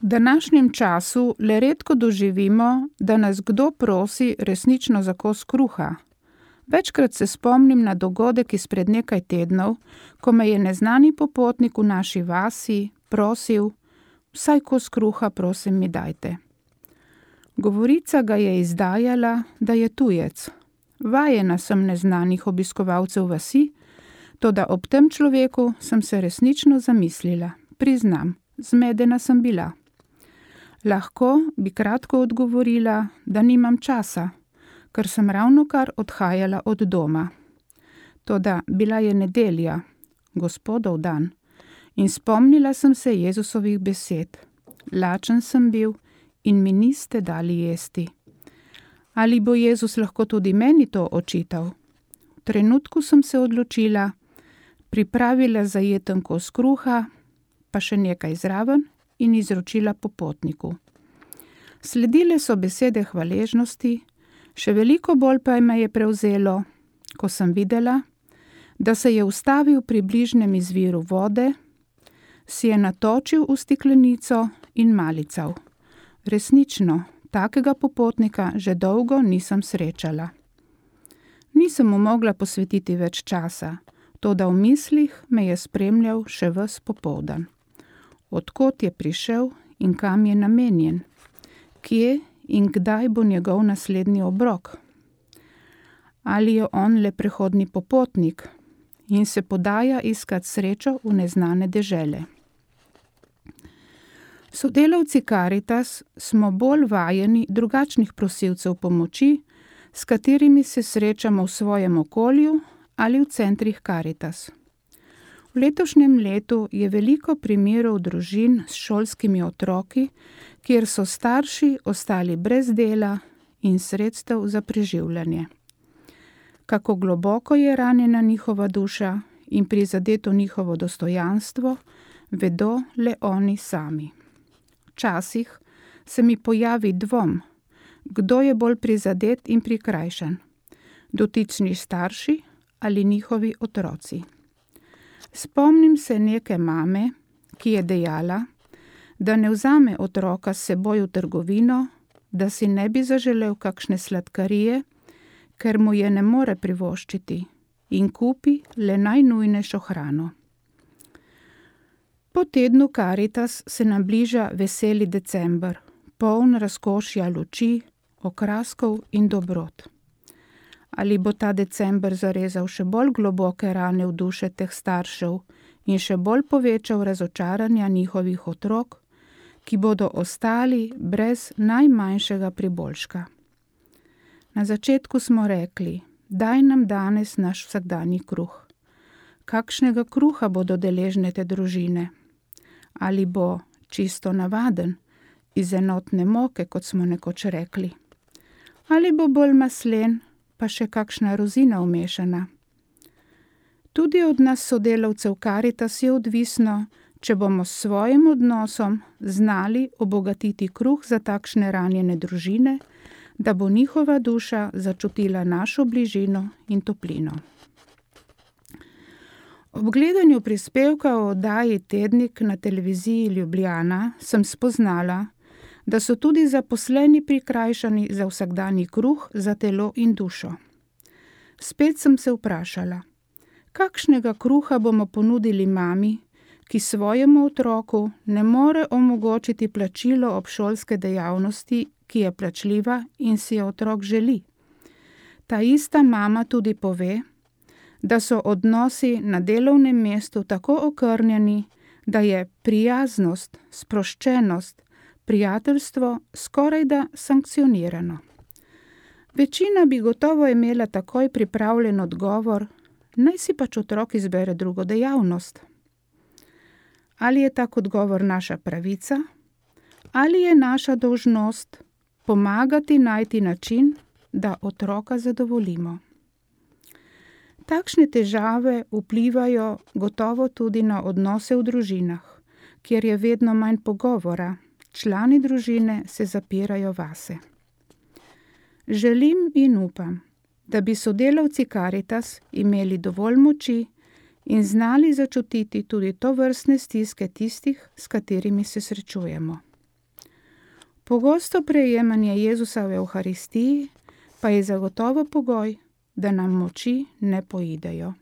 V današnjem času le redko doživimo, da nas kdo prosi resnično za kos kruha. Večkrat se spomnim na dogodek izpred nekaj tednov, ko me je neznani popotnik v naši vasi prosil: "Vsaj kos kruha, prosim, mi dajte." Govorica ga je izdajala, da je tujec. Vajena sem neznanih obiskovalcev vasi, toda ob tem človeku sem se resnično zamislila. Priznam, zmedena sem bila. Lahko bi kratko odgovorila, da nimam časa, ker sem ravnokar odhajala od doma. Toda bila je nedelja, Gospodov dan, in spomnila sem se Jezusovih besed. Lačen sem bil in mi niste dali jesti. Ali bo Jezus lahko tudi meni to očital? V trenutku sem se odločila, pripravila zajeten kos kruha, pa še nekaj zraven in izročila popotniku. Sledile so besede hvaležnosti, še veliko bolj pa me je prevzelo, ko sem videla, da se je ustavil pri bližnjem izviru vode, si je natočil v steklenico in malical. Resnično, takega popotnika že dolgo nisem srečala. Nisem mu mogla posvetiti več časa, toda v mislih me je spremljal še ves popoldan. Od kod je prišel in kam je namenjen? Kje in kdaj bo njegov naslednji obrok? Ali je on le prehodni popotnik in se podaja iskat srečo v neznane dežele? Sodelavci Karitas smo bolj vajeni drugačnih prosilcev pomoči, s katerimi se srečamo v svojem okolju ali v centrih Karitas. V letošnjem letu je veliko primerov družin s šolskimi otroki, kjer so starši ostali brez dela in sredstev za preživljanje. Kako globoko je ranjena njihova duša in prizadeto njihovo dostojanstvo, vedo le oni sami. Včasih se mi pojavi dvom, kdo je bolj prizadet in prikrajšan, dotični starši ali njihovi otroci. Spomnim se neke mame, ki je dejala, da ne vzame otroka s seboj v trgovino, da si ne bi zaželel kakšne sladkarije, ker mu je ne more privoščiti, in kupi le najnujnejšo hrano. Po tednu Karitas se nam bliža veseli december, poln razkošja luči, okraskov in dobrot. Ali bo ta december zarezal še bolj globoke rane v duše teh staršev in še bolj povečal razočaranja njihovih otrok, ki bodo ostali brez najmanjšega priboljška? Na začetku smo rekli: "Daj nam danes naš vsakdanji kruh." Kakšnega kruha bodo deležne te družine? Ali bo čisto navaden, iz enotne moke, kot smo nekoč rekli? Ali bo bolj maslen, pa še kakšna rozina vmešana? Tudi od nas sodelavcev Karitas je odvisno, če bomo s svojim odnosom znali obogatiti kruh za takšne ranjene družine, da bo njihova duša začutila našo bližino in toplino. Ob gledanju prispevka o oddaji Tednik na televiziji Ljubljana sem spoznala, da so tudi zaposleni prikrajšani za vsakdanji kruh za telo in dušo. Spet sem se vprašala, kakšnega kruha bomo ponudili mami, ki svojemu otroku ne more omogočiti plačilo obšolske dejavnosti, ki je plačljiva in si je otrok želi. Ta ista mama tudi pove, da so odnosi na delovnem mestu tako okrnjeni, da je prijaznost, sproščenost, prijateljstvo skorajda sankcionirano. Večina bi gotovo imela takoj pripravljen odgovor, naj si pač otrok izbere drugo dejavnost. Ali je tak odgovor naša pravica? Ali je naša dolžnost pomagati najti način, da otroka zadovoljimo? Takšne težave vplivajo gotovo tudi na odnose v družinah, kjer je vedno manj pogovora, člani družine se zapirajo vase. Želim in upam, da bi sodelavci Karitas imeli dovolj moči in znali začutiti tudi tovrstne stiske tistih, s katerimi se srečujemo. Pogosto prejemanje Jezusa v Evharistiji pa je zagotovo pogoj, da nam moči ne poidejo.